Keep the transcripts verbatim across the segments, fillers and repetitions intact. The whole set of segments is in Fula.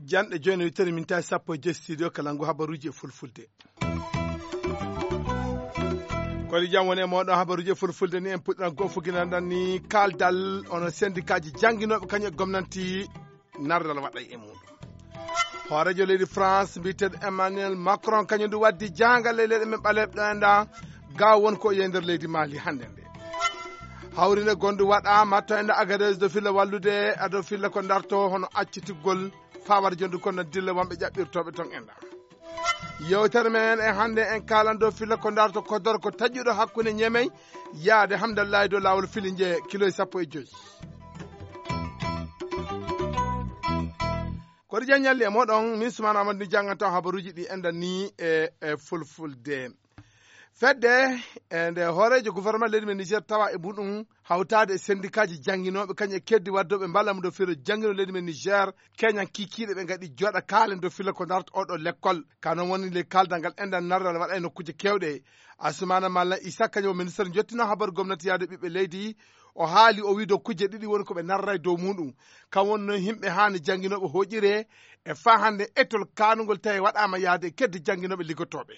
Janɗe jooni, wittere min tawi sappo e joy studio kala ngu habaruuji e fulfulde. Kodi jam woni e mooɗon, habaruuji e fulfulde ni en puɗɗiran ko fuginanɗan ni kaaldal ono sendikaaji jannginooɓe kañum e gomnanti nardal waɗa e muɗum. Hooreejo leydi France mbiyeteeɗo Emmanuel Macron kañum ndu waddi jahangal e leyɗe men ɓaleeɓe ɗo e nda ga won ko yehi nder leydi Mali hannde nde. Hawrinde gondu waɗaama to enda Agadez do filla wallude ado filla ko darto hono accitugol fawar jondu kono dilla wonɓe ƴaɓɓirtooɓe ton enda. Yewtere men e hannde en kaalan dow filla ko darto kodoro ko taƴuɗo hakkunde ñemey yaade Hamdallahi dow laawol fili nje kilo e sappo e joy. Koɗi jan ñalli e moɗon, min Sumana Amadou ni jannganto habaruuji ɗi enda ni e, e fulfulde. Fedde e nde hooreejo gouvernement leydi men Niger tawa e muɗum hawtaade e sendikaaji jannginooɓe kañum e keddi waddooɓe mballa mu ɗo firo janngino leydi men Niger, keñan kiikiiɗe ɓe ngaɗi jooɗa kaalen dow filla ko darata oɗo lekkol. Ka noon woni le kaaldal ngal enɗan narral waɗa e nokkuuje keewɗe. Asumana Mallan Isa kañum o ministre jottino habaru gomnati yaade ɓiɓɓe leydi. O haali o wi dow kujje ɗiɗi woni ko ɓe narra e dow muɗum. Kam woni noon yimɓe haani jannginooɓe hooƴire e faa hannde etol kaanungol tawi waɗaama yaade e keddi jannginooɓe liggotooɓe.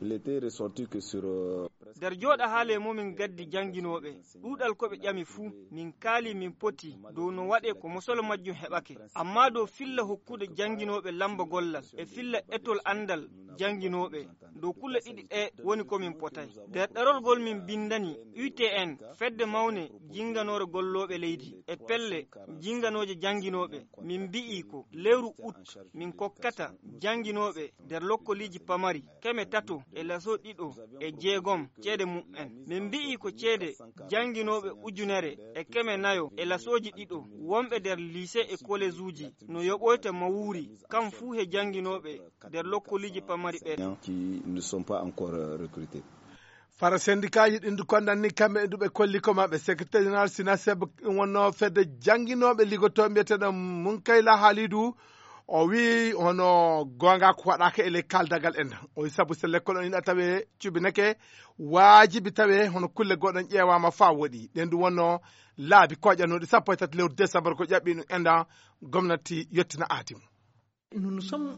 Il était ressorti que sur, euh, nder jooɗa haale mumin gaddi jannginooɓe ɗuuɗal ko ɓe ƴami fuu, min kaali min poti dow no waɗe ko mosolo majjum heɓake. Amma dow filla hokkude jannginooɓe lamba gollal e filla etol anndal jannginooɓe, dow kulle ɗiɗi ɗe woni ko min potay. Nder ɗerol gol min binndani U T N, fedde mawne jinnganoore gollooɓe leydi e pelle jinnganooje jannginooɓe, min mbi'i ko lewru ut min kokkata jannginooɓe nder lokkoliiji pamari keme tato e laso ɗiɗo e jeegom ceede mum'en. Min mbi'i ko ceede jannginooɓe ujunere e keme nayo e lasooji ɗiɗo wonɓe nder liise e kolejuuji no yoɓoyta mawuuri, kam fuu he jannginooɓe nder lokkoliiji pamari ɓen. Qui ne sont pas encore, euh, recrutés. Fara sendikaaji ɗin du kondan ni kamɓe e duɓe kolli ko maɓɓe. Secrétaire général Sinaseb wonno fedde jannginooɓe liggotooɓe mbiyeteeɗo Munkayla Halidu. O wi hono goonga ko waɗaaka e ley kaldagal en. O wi sabu so lekkol on ina tawe cubineke, waajibi tawe hono kulle goɗon ƴeewaama faa woɗi. Ɗen du wonno laabi koƴanooɗi sappo e tati lewru décembre ko ƴaɓɓi ɗum enɗan gomnati yettina aadi mum.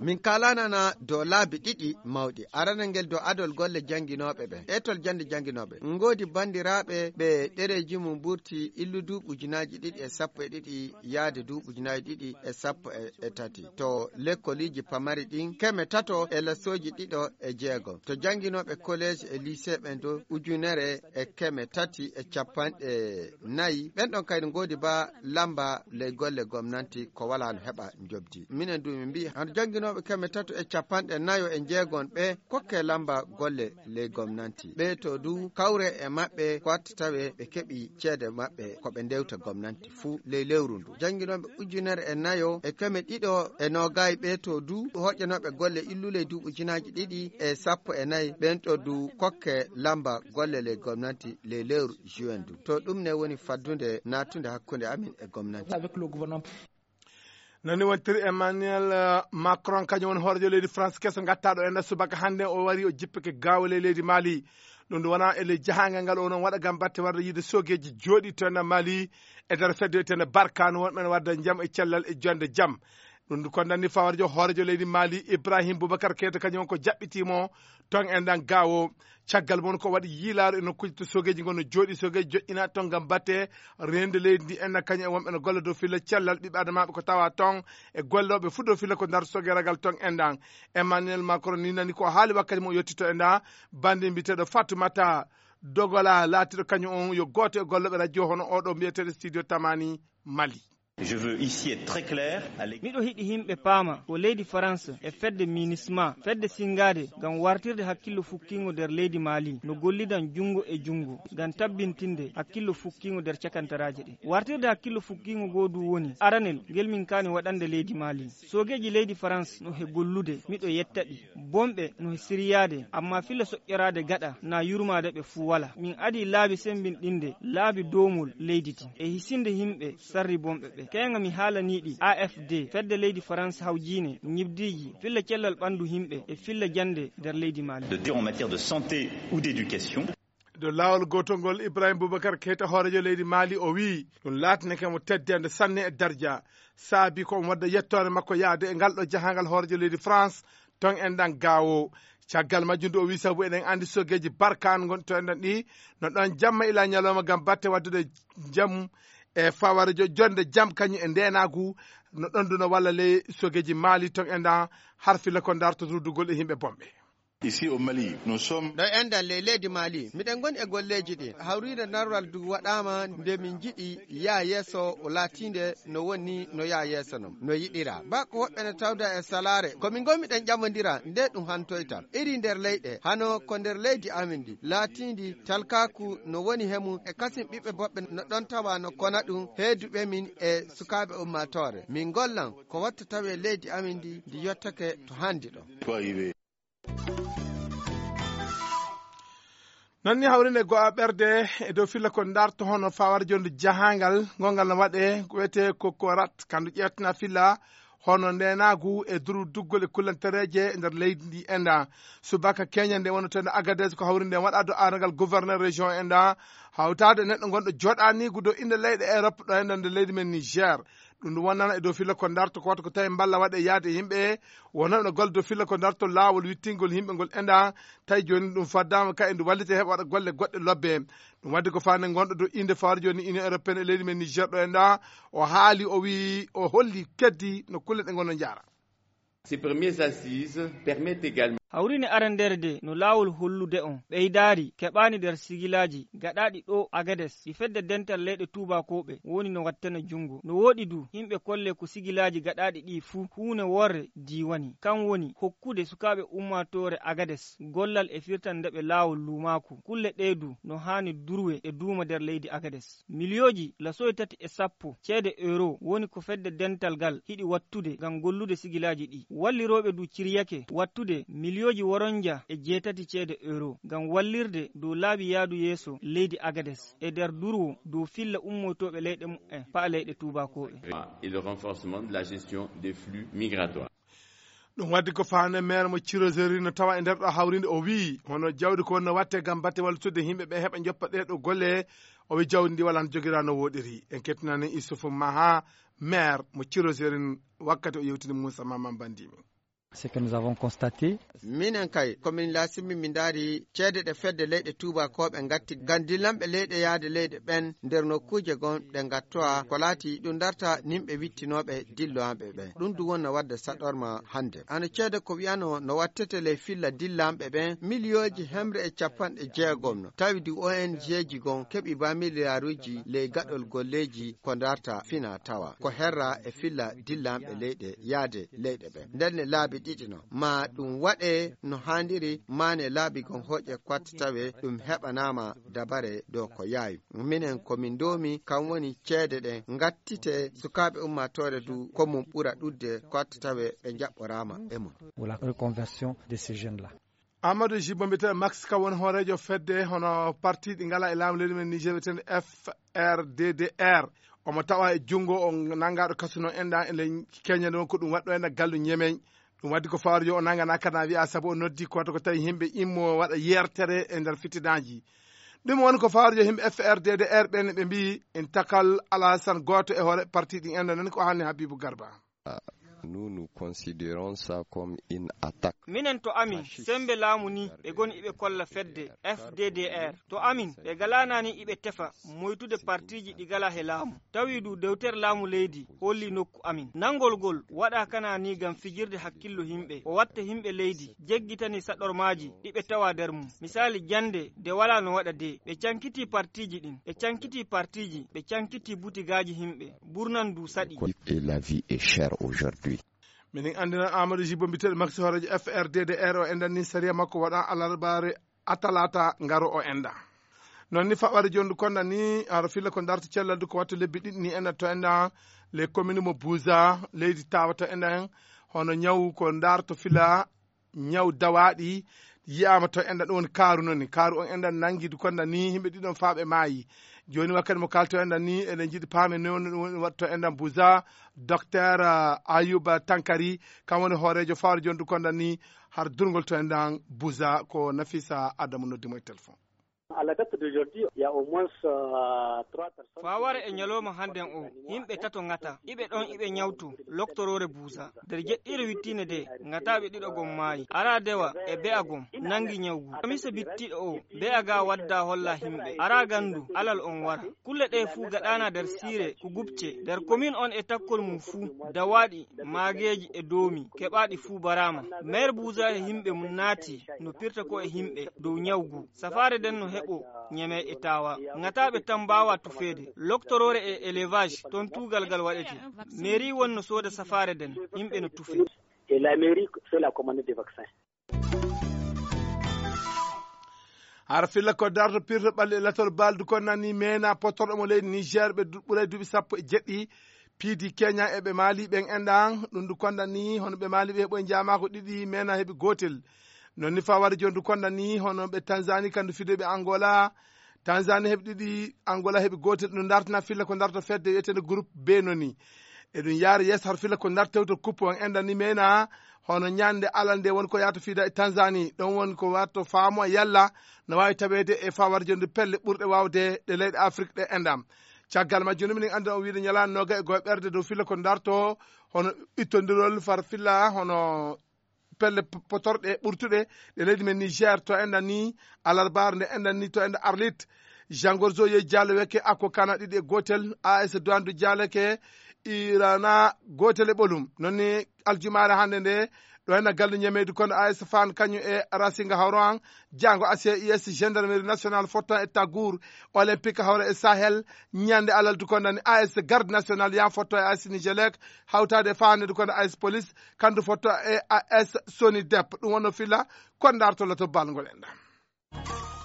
Min kalanana dow laabi ɗiɗi mawɗi. Aranal ngel dow adol golle jannginooɓe ɓe. Etol jannde jannginooɓe. Ngoodi banndiraaɓe ɓe ɗereeji mum mburti illu duuɓi ujunaaji ɗiɗi e sappo e ɗiɗi yaade duuɓi ujunaaji ɗiɗi e sappo e tati. To lekkoliiji pamari ɗin, keme tato e lesooji ɗiɗo e jeego. To jannginooɓe kolleej e lycée ɓen dow ujunere e keme tati e capanɗe nayi. Ɓen ɗon kadi ngoodi ba lamba ley golle gomnanti ko walaa no heɓa njobdi. Minen du min mbi'i hano jannginooɓe keme tato e capanɗe nayo e jeegon ɓe kokke lamba golle ley gomnanti. Ɓe to du kawre e maɓɓe ko watta tawe ɓe keɓi ceede maɓɓe ko ɓe ndewta gomnanti fuu ley lewru ndu. Jannginooɓe ujunere e nayo e keme ɗiɗo e noogay ɓe to du hoƴƴanooɓe golle illu ley duuɓi ujunaaji ɗiɗi e sappo e nayi ɓen to du kokke lamba golle ley gomnanti ley lewru juin du. To ɗum ne woni faddude naattude hakkunde amin e gomnanti. Nani wontiri Emmanuel, eh, Macron, kañum woni hoorejo leydi France keso gattaɗo en subaka hannde, o wari o jippike gaawo ley leydi Mali. Ɗum ndu wona e ley jahangal ngal o non waɗa gam batte warde yiide sogeji jooɗi to en Mali e nder fedde wiyetende Barkanu wonɓe ne wadda jam e cellal e jonde jam. Ɗum ndu ko nanni fawarjo hoorejo leydi Mali Ibrahim Boubacar Keita kañum woni ko jaɓɓitimo ton e ndan gaawo. Caggal mum ko waɗi yiilaaru e nokkuuji to sogeeji ngon no jooɗi, sogeeji joƴƴinaaɗi ton ngam batte reenude leydi ndi, enna kañum e wonɓe no golla dow filla cellal ɓiɓɓe adamaaɓe ko tawa ton e gollooɓe fuu dow filla ko ndarto sogeragal ton e ndan. Emmanuel Macron ni nani ko haali wakkati mo o yettito e nda bannde mbiyeteeɗo Fatoumata Dogola, laatiiɗo kañum on yo gooto e gollooɓe radio hono oɗo mbiyeteeɗo Studio Tamani Mali. Je veux ici être très clair à l'égard. Miɗo hiɗi yimɓe paama ko leydi France e fedde MINUSMA, fedde sinngaade ngam wartirde hakkillo fukkiingo nder leydi Mali, no gollidan junngo e junngo ngam tabbintinde hakkillo fukkiingo nder cakantaraaje ɗe. Wartirde hakkillo fukkiingo ngoo du woni aranel ngel min kaani waɗande leydi Mali. Soogeeji leydi France no he gollude, miɗo yetta ɗi. Bonɓe no he siriyaade, ammaa filla soƴƴoraade gaɗa naa yurmaade ɓe fuu walaa. Min adii laabi semmbinɗinde, laabi doomol leydi din, e hisinde yimɓe sarri bonɓe ɓe. Keeŋa mi haalanii ɗi A F D, fedde leydi Farans hawjiine ñibdiiji, filla cellal ɓanndu yimɓe e filla jannde nder leydi Mali. De dire en matière de santé ou d'éducation. Dow laawol gootol ngol, Ibrahim Boubacar Keita, hooreejo leydi Mali, o wiyi ɗum laatinake mo teddende sanne e darja. Saabi ko omo wadda yettoore makko yahde e ngal ɗo jahangal hooreejo leydi France, ton enɗan gaawo. Caggal majjum ndu o wiyi sabu eɗen anndi sogeeji barkaan ngonɗi to enɗan ɗi, no ɗon jamma ila ñalawma ngam batte waddude jam e faware jo-, jonde jam kañum e ndeenaagu, no ɗon ndu no walla ley sogeeji Mali ton enɗan harfilla ko darto rudugol e yimɓe bonɓe. Ici au Mali, nous sommes. Ɗo enɗan ley leydi Mali, miɗen ngoni e golleeji ɗi. Hawriinde narral du waɗaama nde min njiɗi yaa yeeso o laatiinde no woni no yaa yeeso non, no yiɗira. Ba ko woɓɓe no tawda e salaare, ko min ngoni miɗen ƴamondira nde ɗum hantoyta. Iri nder leyɗe, hano ko nder leydi amin ndi, laatiindi talkaaku no woni he mum e kasin ɓiɓɓe boɓɓe no ɗon tawa no kona ɗum heeduɓe min e sukaaɓe ummaatoore. Min ngollan ko watta tawe leydi amin ndi, ndi yottake to hanndi ɗo. Noon ni hawrinde go a ɓerde e dow filla ko darto hono fawar jonde jahangal ngongal no waɗe ko wiyetee ko korat kandu ƴeewtana filla hono ndenaagu e duru duggol e kullantereeje e nder leydi ndi enda. Subaka Kenya nde wonno to enda Agadez ko hawrinde waɗa do arangal gouverneur région enda hawtaade neɗɗo gonɗo joɗanigu dow inde leyɗe Europe ɗo enda nde leydi men Niger. Ɗum ɗum wonnana e dow filla ko darto ko wata ko tawi mballa waɗe yaade yimɓe wonnoɓe no golle dow filla ko darto laawol wittingol yimɓe ngol enda. Tawi jooni ɗum faddama ka e ndu wallite heɓa waɗa golle goɗɗe lobbe. Ɗum wadde ko fane gonɗo dow inde fawar jooni Union Européenne e leydi men Niger ɗo enda o haali o wi o holli keddi no kulle ɗe gonno jaara. Ces premières assises permettent également. Hawrini arandere de no laawol hollude on ɓeydaari keɓaani nder sigilaaji gaɗaaɗi ɗo Agades ɗi fedde dental leyɗe tuubakooɓe woni no wattana junngo. No woɗi du yimɓe kolle ko sigilaaji gaɗaaɗi ɗi fuu huune worre diiwani. Kan woni hokkude sukaaɓe ummaatoore Agades gollal e firtande ɓe laawol luumaaku. Kulle ɗee du no haani durwe e duuma nder leydi Agades. Miliyooji lasoy tati e sappo ceede euro woni ko fedde dental ngal hiɗi wattude ngam gollude sigilaaji ɗi. Wallirooɓe du ciryake wattude miliyooji woronja e jeetati ceede euro ngam wallirde dow laabi yaadu yeeso leydi Agades e nder durwo dow filla ummoytooɓe leyɗe muɓɓen pa'a leyɗe tuubakooɓe. Et le renforcement de la gestion des flux migratoires. Ɗum waddi ko faande maire mo Cirozeri no tawa e nder ɗo hawrinde o wiyi hono jawdi ko wonno watte ngam batte wallutude yimɓe ɓe heɓa joppa ɗee ɗo golle. O wi jawdi ndi wala no jogira no woɗiri. En kettinani Issoufou Maha, maire mo Cirozeri, wakkati o yewtini Moussa Maman Bandimi. Ce que nous avons constaté. Minen kay komin laasimi min ndaari ceede ɗe fedde leyɗe tuubakooɓe ngatti ngam dillanɓe leyɗe yahde leyɗe ɓen nder nokkuuje gon ɗe ngattowa ko laati ɗum darta nimɓe wittinooɓe dillowanɓe ɓen. Ɗum du wonna wadde saɗorma hannde. Ano ceede ko wiyano no wattete ley filla dillanɓe ɓen miliyooji hemre e capanɗe jeegom no tawi du O N G ji gon keɓi ba miliyaaruuji ley gaɗol golleeji ko darta fina tawa ko herra e filla dillanɓe leyɗe yahde leyɗe ɓen. Nden ne laabi ɗiɗi no ma ɗum waɗe no haandiri mane laabi gon hoƴe kwatta tawe ɗum heɓanaama dabare dow ko yaawi. Minen ko min ndoomi kam woni ceede ɗen ngattite sukaaɓe ummaatoore du ko mum ɓura ɗudde kwatta tawe ɓe jaɓɓoraama e mum. Pour la reconversion de ces jeunes là. Amadou Jibo mbiyetee Max ka woni hooreejo fedde hono parti ɗi ngala e laamu leydi men Niger wiyeteende F R D D R. Omo tawa e junngo o nanngaɗo kasuno enɗan e ley Kenya ɗon ko ɗum waɗɗo enɗan gallu ñemeñ. Ɗum waddi ko fawar yo o nangana kana wiya sabu o noddi ko wata ko tawi yimɓe immo waɗa yertere e nder fitinaaji. Ɗum woni ko fawar yo yimɓe F R D D R ɓen ɓe mbiyi en takal Alassane gooto e hoore parti ɗin enɗan nani ko haalni Habibou Garba. Nous, nous considérons ça comme une attaque. Minen to amin sembe laamu ni ɓe goni iɓe kolla fedde F D D R. To amin ɓe galanani iɓe tefa moytude partiji ɗi gala he laamu. Tawi du dewtere laamu leydi holli nokku amin. Nangol gol waɗa kana ni ngam fijirde hakkillo yimɓe. O watta yimɓe leydi jeggitani saɗormaji ɗi ɓe tawa nder mum. Misali jande de wala no waɗa de ɓe cankiti partiji ɗin. Ɓe cankiti partiji, ɓe cankiti butigaaji yimɓe. Burnan du saɗi. Et la vie est chère aujourd'hui. Minin anndina Amadou Jibo mbiteɗo Maxi hooreejo F R D D R o enɗan ni sariya makko waɗa alarbaare atalata ngaro o enɗa. Noon ni faɓɓare jondu konɗa ni ara filla ko darto cellal du ko wattu lebbi ɗiɗi ni enɗa to enɗa les communes mo Buza leydi tawa to enɗa en hono ñaw ko darto fila ñaw dawaɗi yiyaama to enɗan, ɗum woni kaaru noon ni. Kaaru on enɗan nanngi du konda ni yimɓe ɗiɗon faa ɓe maayi. Jooni wakkati mo kaalto enɗan ni, eɗen njiɗi paame noon ɗum woni waɗto enɗan Buza, Docteur, ah, Ayuba Tankari, kam woni hooreejo faaro jooni du konda ni har durngol to enɗan Buza, ko Nafisa Adamu noddi mo e téléphone. À la date d'aujourd'hui, il y a au moins, euh, trois personnes. Faware e ñalawma hannden o, yimɓe tato ŋata, iɓe ɗon iɓe ñawto, loktoroore Buusa. Nder jeɗɗiire wittiinde de, ŋataaɓe ɗiɗo gom maayi. Araa dewa e be'a gom, nanngi ñawgu. Kamisa bittiiɗo o, be'a ga wadda holla yimɓe. Araa ganndu, alal on wara. Kulle ɗe fuu gaɗaana nder siire, ko gubce. Nder komin on e takkol mum fuu, dawaaɗi, maageeji e doomi, keɓaaɗi fuu baraama. Meer Buusa e yimɓe mum naati, no pirta ko e yimɓe, dow ñawgu. Safaare nden no heɓo ñeme e taawa. Ŋataaɓe tan mbaawa tufeede. Loktoroore e élevage, ton tuugal ngal waɗete. Mairie won no sooda safaare nden, yimɓe no tufe. Et la mairie fait la commande des vaccins. Hara filla ko darto pirto ɓalli e latol baldu kon nani mena potorɗo mo leydi Niger ɓe du-, ɓuray duuɓi sappo e jeɗɗi piidi Kenya e ɓe Mali ɓen enɗan. Ɗum du konda ni hono ɓe Mali ɓe heɓo e jaamako ɗiɗi mena heɓi gotel. Non ni fa wari jon du konda ni hono ɓe Tanzanie kandu fido ɓe Angola. Tanzanie heɓi ɗiɗi, Angola heɓi gotel. Ɗum dartina filla ko darto fedde wiyetende groupe B noni. E ɗum yaari yeeso har filla ko darto tewto coupe on enɗan ni mena hono ñande alal nde woni ko yahata fiida e Tanzanie. Ɗon woni ko watto faamo yalla no waawi taweede e fa wari jon du pelle ɓurɗe waawde ɗe leyɗe Afrique ɗe enɗan. Caggal majjum minen anndi on wiide ñalaande noga e goye ɓerde dow filla ko darto hono ittondirol far filla hono pelle p-, potorɗe ɓurtuɗe ɗe leydi men Niger to enɗan ni alarbaare nde enɗan ni to enɗan Arlit. Jean Gorzo Ye Diallo weke Ako Kana ɗiɗi e gotel, A S Douane du Diallo ke Irana gotel e ɓolum. Non ni aljumaare hannde nde ɗo enɗan gallu ñameydu kono A S Fan kañum e Rasinga Hawroan, Jango A C I S, Gendarmerie Nationale fotto e Tagour, Olympique hawra e Sahel, ñande alaldu ko nani A S Garde Nationale yan fotto e A S Nigelec, hawtaade e faanede ko A S Police, kandu fotto e A S Sonidep. Ɗum wonno fila ko dartolo to balngol en ɗam.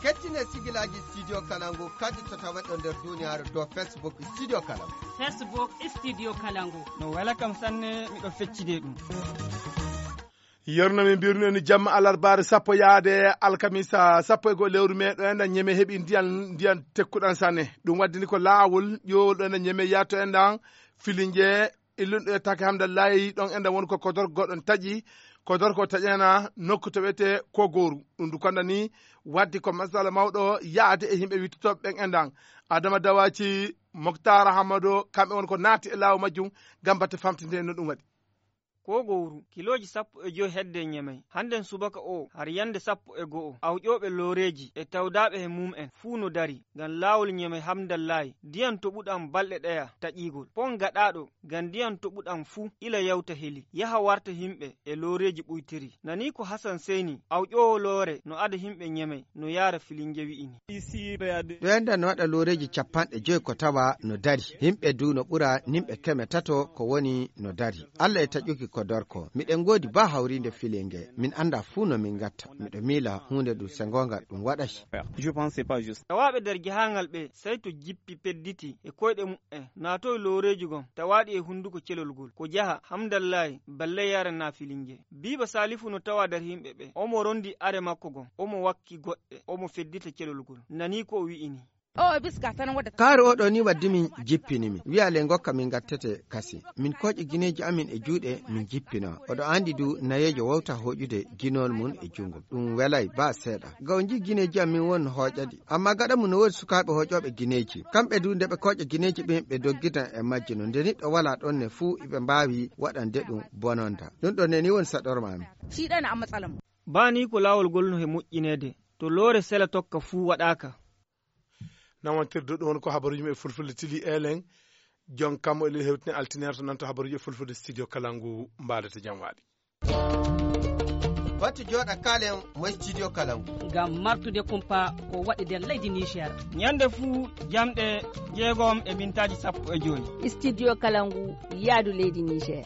Kettine sigilaji Studio Kalangu kadi to tawaɗo nder duniyaaru dow Facebook Studio Kalangu. Facebook Studio Kalangu. No wela kam sanne, miɗo feccide ɗum. Yorno min mbirno ni jamma alarbaare sappo yaade alkamisa sappo e go'o lewru me ɗo enɗan ñeme heɓi ndiyan, ndiyan tekkuɗan sanne. Ɗum waddini ko laawol ƴoowol ɗo enɗan ñeme yaato enɗan filinje illunɗo e take Hamdallahi ɗon enɗan woni ko kodor goɗɗon taƴi. Kodor ko taƴana nokku to wiyete Kogoru. Ɗum du konda ni waddi ko masala mawɗo yaade e yimɓe wittotooɓe ɓen enɗan. Adama Dawaci, Moktar Hamado, kamɓe woni ko naati e laawo majjum ngam batte famtinde no ɗum waɗi. Ko gowru, kilooji sappo e joy hedde ñemey. Hannden subaka o, har yande sappo e go'o, awƴooɓe looreeji e tawdaaɓe he mum en fuu no dari, ngam laawol ñemey Hamdallaay, ndiyan toɓuɗan balɗe ɗeya taƴiigol. Pon gaɗaaɗo, ngam ndiyan toɓuɗan fuu ila yawta heli, yaha warta yimɓe e looreeji ɓuytiri. Nani ko Hasan Seyni, awƴoowo loore, no ada yimɓe ñemey, no yaara filinje wi'ini. Ɗo enɗan no waɗa looreeji capanɗe joy ko tawa no dari. Yimɓe du no ɓura nimɓe keme tato ko woni no dari. Allah e taƴuki ko dorko. Miɗen ngoodi ba hawriinde filinge. Min annda fuu no min ngatta. Miɗo miila huunde du sengongal ɗum waɗay. Je pense c'est pas juste. Tawaaɓe nder jahangal ɓe, sey to jippi pedditi e koyɗe mu'en, naatoy looreeji gon, tawaaɗi e hunduko celol gol. Ko jaha, Hamdallaay, balle yaara na filinge. Biiba Saalifu no tawa nder yimɓe ɓe. Omo rondi are makko gon, omo wakki goɗɗe, omo feddita celol gol. Nani ko o wi'ini. O, biska tan wadda. Kaaru oɗo ni waddi min jippini min. Wi'a le ngokka min gattete kasi. Min kooƴi gineeji amin e juuɗe min jippina. Oɗo andi du nayeejo wawta hooƴude ginol mun e jungo. Ɗum welay ba seeɗa. Ga o nji gineeji amin won hooƴaɗi. Amma gaɗa mun no woodi sukaaɓe hooƴooɓe gineeji. Kamɓe du nde ɓe kooƴa gineeji ɓen ɓe doggitan e majji no. Nde niɗɗo wala ɗon ne fuu iɓe mbaawi waɗande ɗum bononda. Ɗum ɗon ne ni woni saɗorma amin. Shi ɗan a matsalan. Ba ni ko laawol gol no he moƴƴineede. To loore sela tokka fuu waɗaaka. Nawantirde ɗon ko habaruuji men e fulfulde tili elen. Jon kam o elen hewtine altine to nanto habaruuji e fulfulde studio Kalangu mbaadata jam waaɗi. Wattu jooɗa kaalen mo studio Kalangu. Ngam martude kumpa ko waɗi nder leydi Niger. Ñande fuu jamɗe jeegom e mintaaji sappo e joy. Studio Kalangu yaadu leydi Niger.